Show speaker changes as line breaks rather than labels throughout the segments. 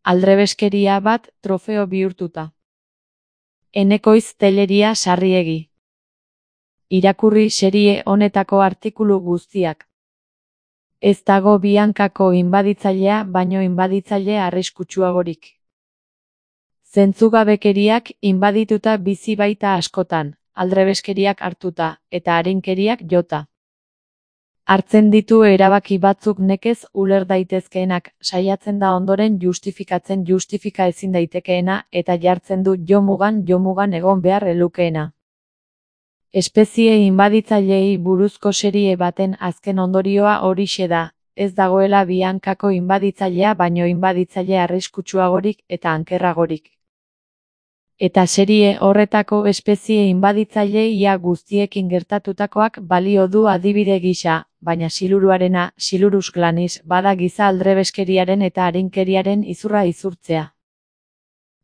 Aldrebeskeria bat trofeo bihurtuta. Enekoiz Telleria Sarriegi. Irakurri serie honetako artikulu guztiak. Ez dago Biancako inbaditzailea baino inbaditzaile arriskutsuagorik. Zentzugabekeriak inbadituta bizi baita askotan, aldrebeskeriak hartuta, eta arinkeriak jota. Hartzen ditu erabaki batzuk nekez uler daitezkeenak, saiatzen da ondoren justifikatzen justifika ezin daitekeena, eta jartzen du jomugan egon behar elukeena. Espezie inbaditzaileei buruzko serie baten azken ondorioa horixe da, ez dagoela Biancako inbaditzailea baino inbaditzaile arriskutsuagorik eta ankerragorik. Eta serie horretako espezie inbaditzaile ia guztiekin gertatutakoak balio du adibide gisa, baina siluruarena, Silurus glanis, bada giza aldrebeskeriaren eta arinkeriaren izurra izurtzea.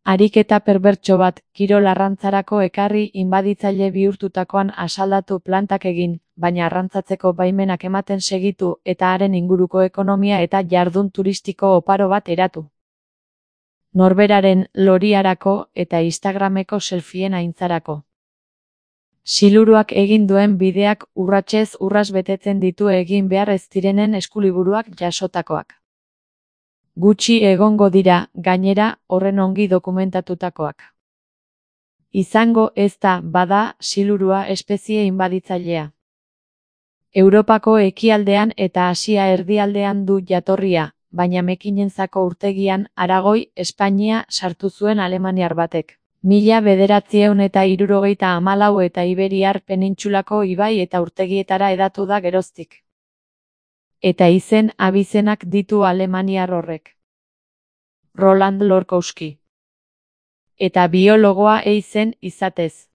Ariketa perbertso bat, kirol arrantzarako ekarri inbaditzaile bihurtutakoan asaldatu plantak egin, baina arrantzatzeko baimenak ematen segitu eta haren inguruko ekonomia eta jardun turistiko oparo bat eratu. Norberaren loriarako eta Instagrameko selfien aintzarako. Siluruak egin duen bideak urratsez urras betetzen ditu egin behar ez direnen eskuliburuak jasotakoak. Gutxi egongo dira, gainera, horren ongi dokumentatutakoak. Izango ez da, bada, silurua espezie inbaditzailea. Europako ekialdean eta Asia erdialdean du jatorria, baina Mekinentzako urtegian, Aragoi, Espainia, sartu zuen alemaniar batek. 1974 eta Iberiar penintsulako ibai eta urtegietara hedatu da geroztik. Eta izen abizenak ditu alemaniar horrek. Roland Lorkowski. Eta biologoa zen izatez.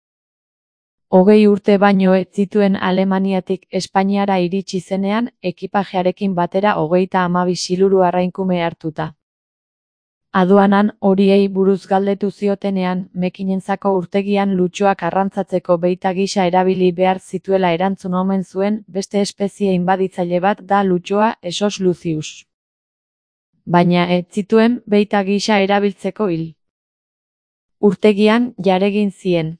20 urte baino ez zituen Alemaniatik Espainiara iritsi zenean, ekipajearekin batera 32 siluru arrainkume hartuta. Aduanan horiei buruz galdetu ziotenean, Mekinentzako urtegian lutxoak arrantzatzeko beita gisa erabili behar zituela erantzun omen zuen, beste espezie inbaditzaile bat da lutxoa Esos lucius. Baina ez zituen beita gisa erabiltzeko hil. Urtegian jaregin zien.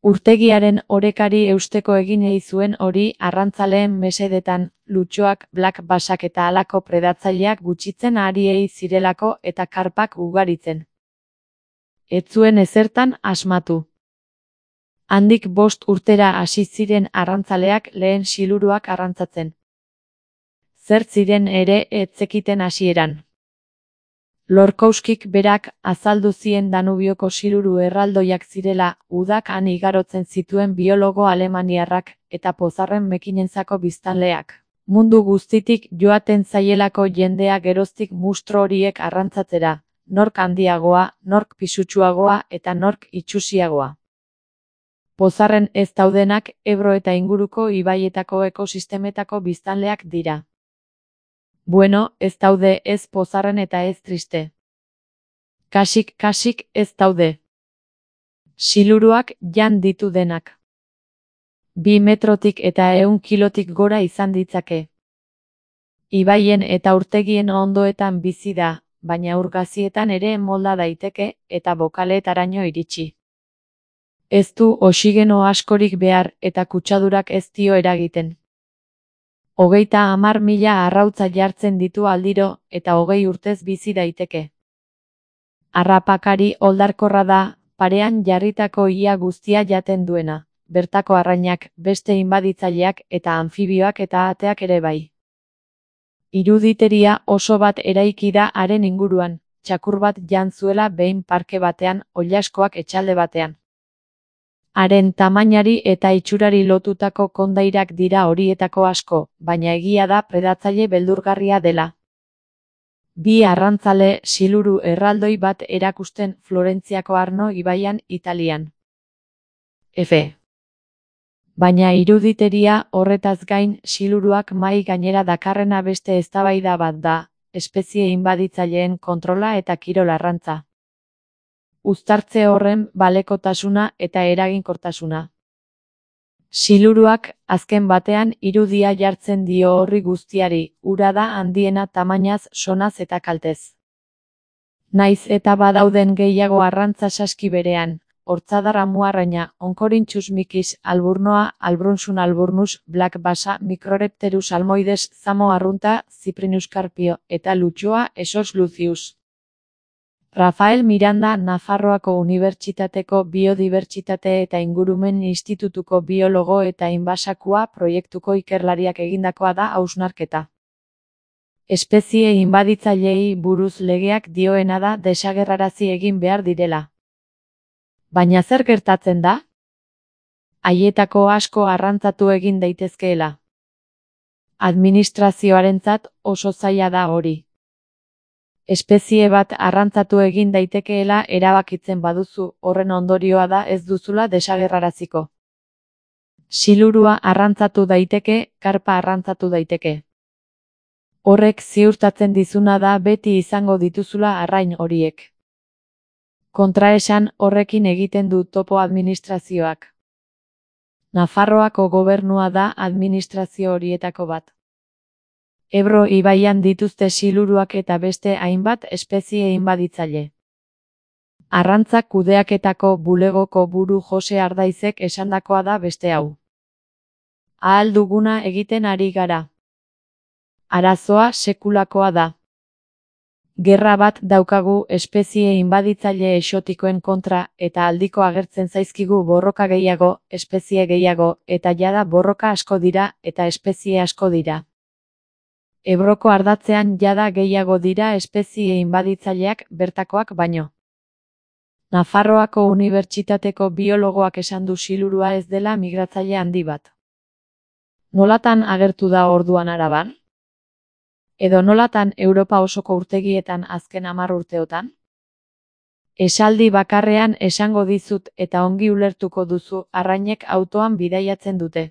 Urtegiaren orekari eusteko egin zuen hori arrantzaleen mesedetan, lutxoak, black bassak eta halako predatzaileak gutxitzen ari zirelako eta karpak ugaritzen. Ez zuen ezertan asmatu. Handik 5 urtera hasi ziren arrantzaleak lehen siluruak arrantzatzen. Zer ziren ere ez zekiten hasieran. Lorkowskik berak azaldu zien Danubioko siluru erraldoiak zirela, udak han igarotzen zituen biologo alemaniarrak, eta pozarren Mekinentzako biztanleak. Mundu guztitik joaten zaielako jendea geroztik mustro horiek arrantzatzera, nork handiagoa, nork pisutsuagoa eta nork itsusiagoa. Pozarren ez daudenak Ebro eta inguruko ibaietako ekosistemetako biztanleak dira. Bueno, ez daude ez pozarren eta ez triste. Kasik ez daude. Siluruak jan ditu denak. 2 metrotik eta 100 kilotik gora izan ditzake. Ibaien eta urtegien ondoetan bizi da, baina urgazietan ere molda daiteke eta bokaleetaraino iritsi. Ez du oxigeno askorik behar eta kutsadurak ez dio eragiten. 30.000 arrautza jartzen ditu aldiro eta 20 urtez bizi daiteke. Harrapakari oldarkorra da, parean jarritako ia guztia jaten duena, bertako arrainak, beste inbaditzaileak eta anfibioak eta ateak ere bai. Iruditeria oso bat eraiki da haren inguruan, txakur bat jan zuela behin parke batean, oilaskoak etxalde batean. Haren tamainari eta itxurari lotutako kondairak dira horietako asko, baina egia da predatzaile beldurgarria dela. 2 arrantzale siluru erraldoi bat erakusten Florentziako Arno ibaian Italian. F. Baina iruditeria horretaz gain siluruak mahai gainera dakarrena beste eztabaida bat da, espezie inbaditzaileen kontrola eta kirol arrantza. Uztartze horren balekotasuna eta eraginkortasuna. Siluruak, azken batean, irudia jartzen dio horri guztiari, ura da handiena tamainaz, sonaz eta kaltez. Naiz eta badauden gehiago arrantza saski berean, hortzadar muarraina, onkorintxus mikis, alburnoa, albrunsun alburnus, black basa, microrepterus almoides, zamo arrunta, Cyprinus carpio, eta lutxoa, esos lucius. Rafael Miranda Nafarroako Unibertsitateko Biodibertsitate eta Ingurumen Institutuko biologo eta Inbasakua proiektuko ikerlariak egindakoa da hausnarketa. Espezie inbaditzaileei buruz legeak dioena da desagerrarazi egin behar direla. Baina zer gertatzen da? Haietako asko arrantzatu egin daitezkeela. Administrazioarentzat oso zaila da hori. Espezie bat arrantzatu egin daitekeela erabakitzen baduzu, horren ondorioa da ez duzula desagerraraziko. Silurua arrantzatu daiteke, karpa arrantzatu daiteke. Horrek ziurtatzen dizuna da beti izango dituzula arrain horiek. Kontraesan horrekin egiten du topo administrazioak. Nafarroako gobernua da administrazio horietako bat. Ebro ibaian dituzte siluruak eta beste hainbat espezie inbaditzaile. Arrantzak kudeaketako bulegoko buru Jose Ardaizek esandakoa da beste hau. Ahal duguna egiten ari gara. Arazoa sekulakoa da. Gerra bat daukagu espezie inbaditzaile exotikoen kontra eta aldiko agertzen zaizkigu borroka gehiago, espezie gehiago, eta jada borroka asko dira eta espezie asko dira. Ebroko ardatzean jada gehiago dira espezie inbaditzaileak bertakoak baino. Nafarroako Unibertsitateko biologoak esan du silurua ez dela migratzaile handi bat. Nolatan agertu da orduan Araban? Edo nolatan Europa osoko urtegietan azken 10 urteotan? Esaldi bakarrean esango dizut eta ongi ulertuko duzu arrainek autoan bidaiatzen dute.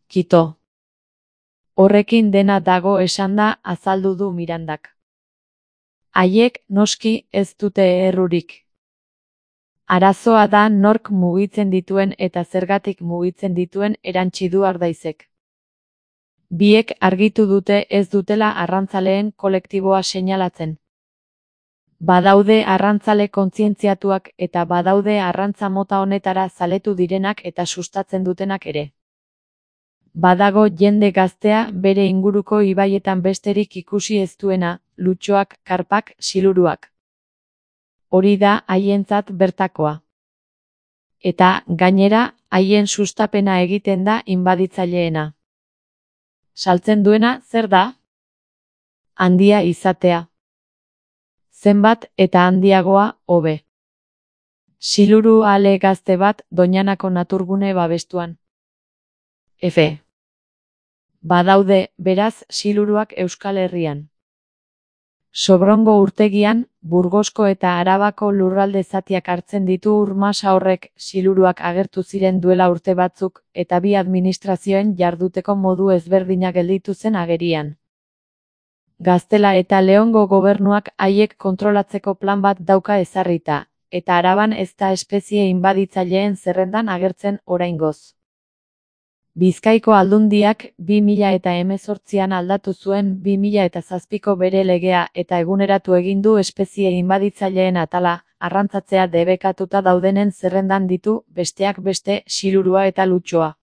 Kito. Horrekin dena dago esanda azaldu du Mirandak. Haiek noski ez dute errurik. Arazoa da nork mugitzen dituen eta zergatik mugitzen dituen erantsi du Ardaizek. Biek argitu dute ez dutela arrantzaleen kolektiboa seinalatzen. Badaude arrantzale kontzientziatuak eta badaude arrantza mota honetara zaletu direnak eta sustatzen dutenak ere. Badago jende gaztea bere inguruko ibaietan besterik ikusi ez duena, lutxoak, karpak, siluruak. Hori da haientzat bertakoa. Eta, gainera, haien sustapena egiten da inbaditzaileena. Saltzen duena zer da? Handia izatea. Zenbat eta handiagoa, hobe. Siluru ale gazte bat Doñanako naturgune babestuan. F. Badaude, beraz, siluruak Euskal Herrian. Sobrongo urtegian, Burgosko eta Arabako lurralde zatiak hartzen ditu Urmasa horrek siluruak agertu ziren duela urte batzuk, eta bi administrazioen jarduteko modu ezberdina gelditu zen agerian. Gaztela eta Leongo gobernuak haiek kontrolatzeko plan bat dauka ezarrita, eta Araban ez da espezie inbaditzaileen zerrendan agertzen oraingoz. Bizkaiko Aldundiak 2018an aldatu zuen 2007ko bere legea eta eguneratu egin du espezie inbaditzaileen atala, arrantzatzea debekatuta daudenen zerrendan ditu, besteak beste, silurua eta lutxoa.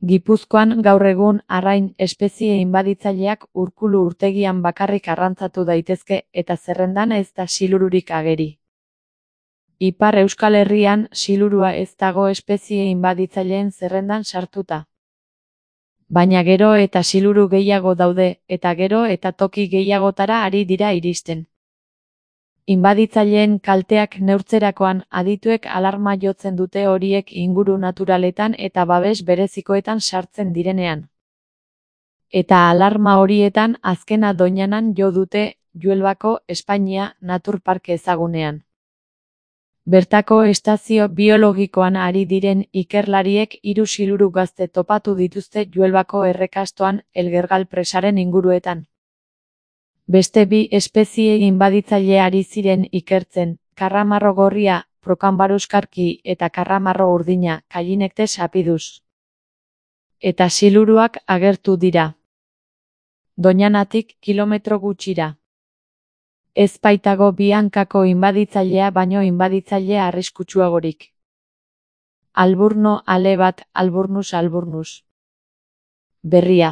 Gipuzkoan gaur egun arrain espezie inbaditzaileak Urkulu urtegian bakarrik arrantzatu daitezke eta zerrendan ez da silururik ageri. Ipar Euskal Herrian silurua ez dago espezie inbaditzaileen zerrendan sartuta. Baina gero eta siluru gehiago daude, eta gero eta toki gehiagotara ari dira iristen. Inbaditzaileen kalteak neurtzerakoan adituek alarma jotzen dute horiek inguru naturaletan eta babes berezikoetan sartzen direnean. Eta alarma horietan azkena Doñanan jo dute, Juelbako, Espainia, naturparke ezagunean. Bertako estazio biologikoan ari diren ikerlariek 3 siluru gazte topatu dituzte Juelbako errekastoan Elgergal presaren inguruetan. Beste 2 espezie inbaditzaile ari ziren ikertzen, karramarro gorria, Procambarus karki eta karramarro urdina, Callinectes apidus. Eta siluruak agertu dira. Doñanatik kilometro gutxira. Ez baitago bi hankako inbaditzailea baino inbaditzaile arriskutsuagorik. Alburno ale bat, Alburnus alburnus. Berria.